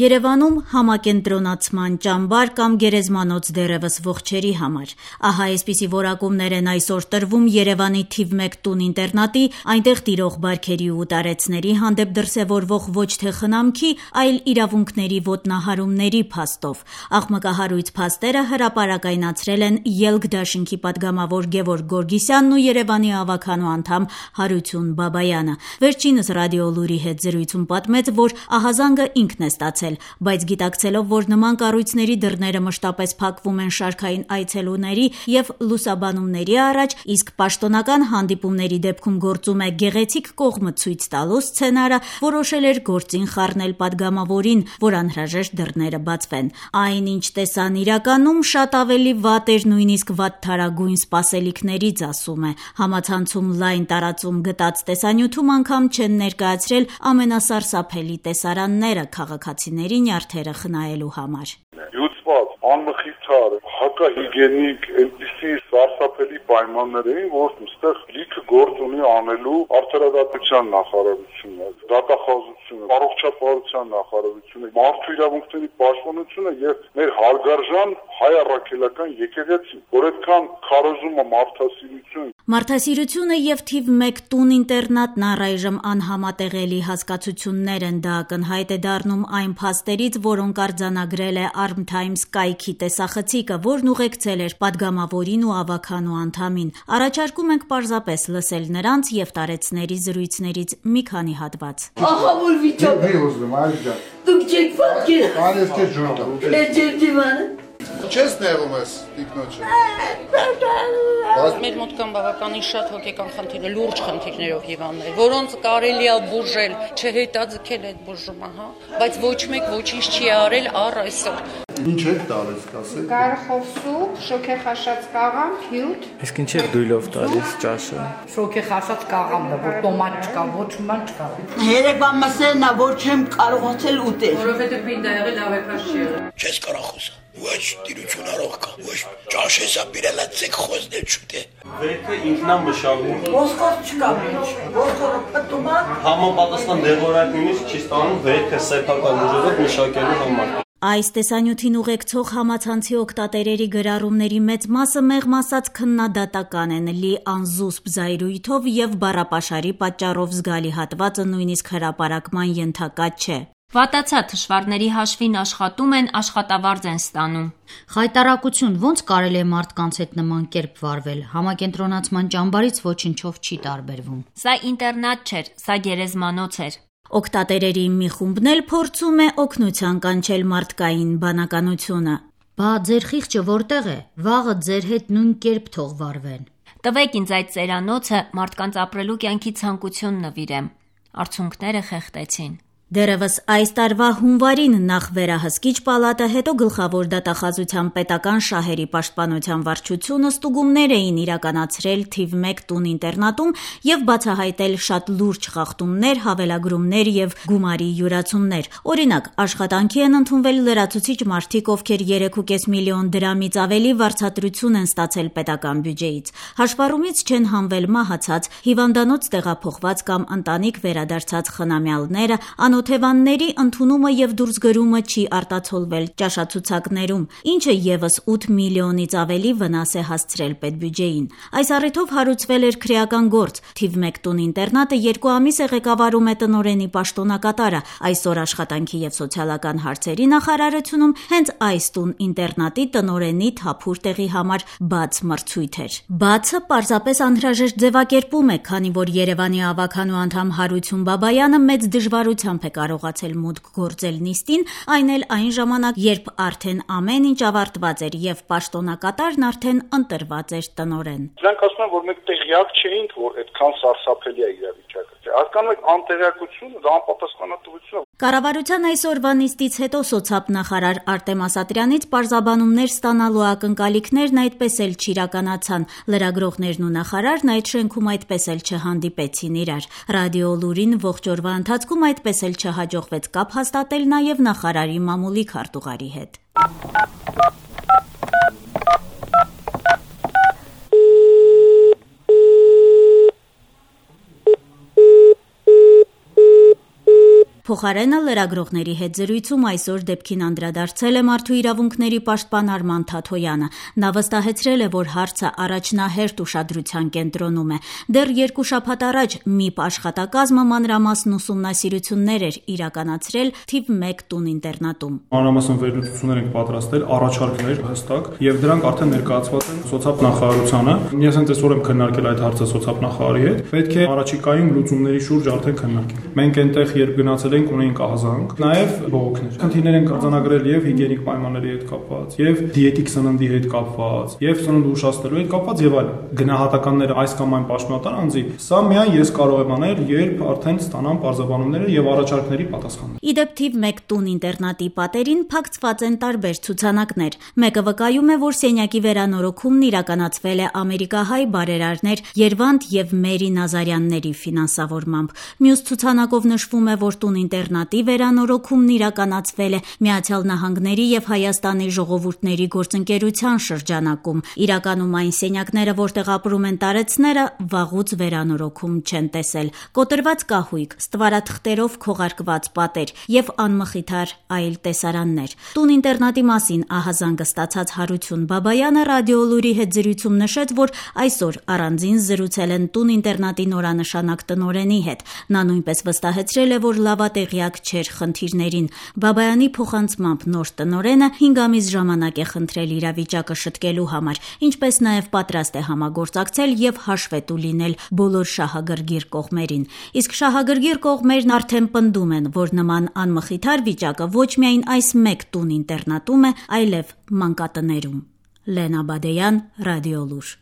Երևանում համակենտրոնացման ճամբար կամ գերեզմանոց դեռևս ողջերի համար։ Ահա այսպիսի որակումներ են այսօր տրվում Երևանի թիվ 1 տուն-ինտերնատի, այնտեղ տիրող բարքերի ու տարեցների հանդեպ դրսևորվող ոչ թե խնամքի, այլ իրավունքների ոտնահարումների փաստով։ Աղմկահարույց փաստերը հրապարակայնացրել են ԵԼՔ դաշինքի պատգամավոր Գևորգ Գորգիսյանն ու Երևանի ավագանու անդամ Հարություն Բաբայանը։ Վերջինս Ռադիոլուրի հետ զրույցում պատմեց, որ ահազանգը ինքն է ստացել, բայց գիտակցելով, որ նման կառույցների դռները մշտապես փակվում են շարքային այցելուների եւ լուսաբանումների առաջ, իսկ պաշտոնական հանդիպումների դեպքում գործում է գեղեցիկ կողմը ցույց տալու սցենարը, որոշել էր գործին խառնել պատգամավորին, որ անհրաժեշտ դռները բացվեն։ Այնինչ տեսան իրականում շատ ավելի վատ էր, նույնիսկ վատթարագույն սպասելիքներից, ասում է։ Համացանցում լայն տարածում գտած տեսանյութում անգամ չեն ներկայացրել ամենասարսափելի տեսարանները քաղաքացիների նյարդերը խնայելու համար։ Յուծված, անմխիթար, հակահիգենիկ, այնպիսի սարսափելի պայմաններ էին, որ այստեղ լիքը գործ ունի անելու արդարադատության նախարարությունը, դատախազությունը, առողջապահության նախարարությունը, մարդու իրավունքների պաշտպանությունը եւ մեր հարգարժան հայ առաքելական եկեղեցին, որ այդքան քարոզումը մարդասիրություն Մարդասիրությունը եւ թիվ 1 տուն-ինտերնատն առայժմ անհամատեղելի հասկացություններ են, դա ակնհայտ է դառնում այն փաստերից, որոնք արձանագրել է Arm Times կայքի տեսախցիկը, որն ուղեկցել էր պատգամավորին ու ավագանու անդամին։ Առաջարկում ենք պարզապես լսել նրանց եւ տարեցների զրույցներից մի քանի հատված։ Ահա որ վիճակ է ուզում, այլջա։ Դուք չեք պատկեր։ Կարես թե ջուրտա։ Լեջեր դիվանը։ Չես նեղում ես տիկնոջը։ Մեր մոտ կան բավականին շատ հոգեկան խնդիրներ, լուրջ խնդիրներով հիվանդներ, որոնց կարելի է բուժել, չհետաձգել այդ բուժումը, հա, բայց ոչ մեկ ոչինչ չի արել առ այսօր։ Ինչ է տալիս, կասեք։ Գարխով սուպ, շոքեխաշած կաղամ, հյութ։ Իսկ ինչ է դույլով տալիս ճաշը։ Շոքեխաշած կաղամն է, որ տոմատ չկա, ոչ ման չկա։ Երեկվա մսերն է, որ չեմ կարողացել ուտել։ Որովհետև պինդ եղել ավեքաշ չի եղել։ Չես կարող խոսալ։ Ոչ տիրություն առող կա, ոչ ճաշեսա բիրելա ցեք խոսնել չուտե։ Վերքը ինքնամշակում։ Ոսկոր չկա մեջ, ոսկորը պտում է։ Համապատասխան դեղորայք նույնիսկ չի ստանում վերքը սեփական ուժերով մշակելու համար։ Այս տեսանյութին ուղեկցող համացանցի օգտատերերի գրառումների մեծ մասը մեղմ ասած քննադատական են, լի անզուսպ զայրույթով եւ բառապաշարի պատճառով զգալի հատվածը նույնիսկ հրապարակման ենթակա չէ։ Վատացա թշվառների հաշվին աշխատում են, աշխատավարձ են ստանում։ Խայտարակություն, ոնց կարելի է մարդկանց հետ նման կերպ վարվել, համակենտրոնացման ճամբարից ոչնչով չի տարբերվում։ Սա ինտերնատ չէր, սա գերեզմանոց էր։ Օգտատերերի մի խումբն էլ փորձում է օգնության կանչել մարդկային բանականությունը։ Բա ձեր խիղճը որտեղ է, վաղը ձեր հետ նույն կերպ թող վարվեն։ Տվեք ինձ այդ ծերանոցը, մարդկանց ապրելու կյանքի ցանկություն նվիրեմ։ Արցունքները խեղտեցին։ Դեռևս այս տարվա հունվարին նախ վերահսկիչ պալատը, հետո գլխավոր դատախազության պետական շահերի պաշտպանության վարչությունը ստուգումներ էին իրականացրել թիվ 1 տուն-ինտերնատում եւ բացահայտել շատ լուրջ խախտումներ, հավելագրումներ եւ գումարի յուրացումներ։ Օրինակ, աշխատանքի են ընդունվել լրացուցիչ մարդիկ, ովքեր 3.5 միլիոն դրամից ավելի վարձատրություն են ստացել պետական բյուջեից։ Հաշվառումից չեն հանվել մահացած, հիվանդանոց տեղափոխված կամ ընտանիք վերադարձած խնամյալները, Օթևանների ընդունումը եւ դուրսգրումը չի արտացոլվել ճաշացուցակներում, ինչը եւս 8 միլիոնից ավելի վնաս է հասցրել պետբյուջեին։ Այս առիթով հարուցվել էր քրեական գործ։ Թիվ 1 տուն-ինտերնատը 2 ամիս է ղեկավարում է տնօրենի պաշտոնակատարը։ Այսօր աշխատանքի եւ սոցիալական հարցերի նախարարությունում հենց այս տուն-ինտերնատի տնօրենի թափուր տեղի համար բաց մրցույթ էր։ Բացը պարզապես անհրաժեշտ ձևակերպում է, քանի որ Երևանի ավագանու անդամ Հարություն Բաբայանը մեծ դժվարությամբ կարողացել մուտք գործել նիստին, այն էլ այն ժամանակ, երբ արդեն ամեն ինչ ավարտված էր եւ պաշտոնակատարն արդեն ընտրված էր տնօրեն։ Դրանք ասում են, որ մենք տեղյակ չէինք, որ այդքան սարսափելի է իրավիճակը։ Հասկանում եք, անտեղյակությունը դա անպատասխանատվություն է։ Կառավարության այսօրվա նիստից հետո սոցիալ նախարար Արտեմ Ասատրյանից պարզաբանումներ ստանալու ակնկալիքներն այդպես էլ չիրականացան։ Լրագրողներն ու նախարարն այդ շենքում այդպես էլ չհանդիպեցին իրար։ Ռադիոլուրին ողջ օրվա ընթացքում այդպես էլ չհաջողվեց կապ հաստատել նաև նախարարի մամուլի քարտուղարի հետ։ Փոխարենը լրագրողների հետ զրույցում այսօր դեպքին անդրադարձել է Մարդու իրավունքների պաշտպան Արման Թաթոյանը։ Նա վստահեցրել է, որ հարցը առաջնահերթ ուշադրության կենտրոնում է։ Դեռ 2 շաբաթ առաջ ՄԻՊ աշխատակազմը մանրամասն ուսումնասիրություններ էր իրականացրել թիվ 1 տուն-ինտերնատում։ Մանրամասն վերլուծություններ ենք պատրաստել, առաջարկներ հստակ, եւ դրանք արդեն ներկայացված են սոցիալ-նախարարությանը։ Ես հենց այսօր եմ քննարկել այդ հարցը սոցիալ-նախարարի հետ։ Պետք է առաջիկայում լուծումների շուրջ արդեն քննարկենք։ Մենք այնտեղ երբ գնացել ենք, ունեինք ահազանգ, նաեւ բողոքներ։ Խնդիրներ են արձանագրել եւ հիգիենիկ պայմանների հետ կապված, եւ դիետիկ սննդի հետ կապված, եւ սնունդ ուշացնելու հետ կապված եւ այլն։ Գնահատականները այս կամ այն պաշտոնատար անձի, սա միայն ես կարող եմ անել, երբ արդեն ստանամ պարզաբանումները եւ առաջարկների պատասխանները։ Իդեպ թիվ 1 տուն-ինտերնատի պատերին փակցված են տարբեր ցուցանակներ։ Մեկը վկայում է, որ սենյակի վերանորոգումն իրականացվել է ամերիկահայ բարերարներ Երվանդ եւ Մերի Նազարյանների ֆինանսավորմամբ։ Մյուս ցուցանակով նշվում է, որ տուն-ինտերնատի վերանորոգումն իրականացվել է Միացյալ Նահանգների եւ Հայաստանի ժողովուրդների գործընկերության շրջանակում։ Իրականում այն սենյակները, որտեղ ապրում են տարեցները, վաղուց վերանորոգում չեն տեսել։ Կոտրված կահույք, ստվարաթղթերով քողարկված պատեր եւ անմխիթար այլ տեսարաններ։ Տուն-ինտերնատի մասին ահազանգը ստացած Հարություն Բաբայանը Ռադիոլուրի հետ զրույցում նշեց, որ այսօր առանձին զրուցել են տուն-ինտերնատի նորանշանակ տնօրենի հետ։ Նա նույնպես վստահեցրել է, որ լավատեղյակ չէր խնդիրներին։ Բաբայանի փոխանցմամբ նոր տնօրենը 5 ամիս ժամանակ է խնդրել իրավիճակը շտկելու համար, ինչպես նաև պատրաստ է համագործակցել եւ հաշվետու լինել բոլոր շահագրգիռ կողմերին։ Իսկ շահագրգիռ կողմերն արդեն պնդում են, որ նման անմխիթար վիճակը ոչ միայն այս 1 տուն-ինտերնատում է, այլև մանկատներում։ Լենա Բադեյան, Ռադիոլուր։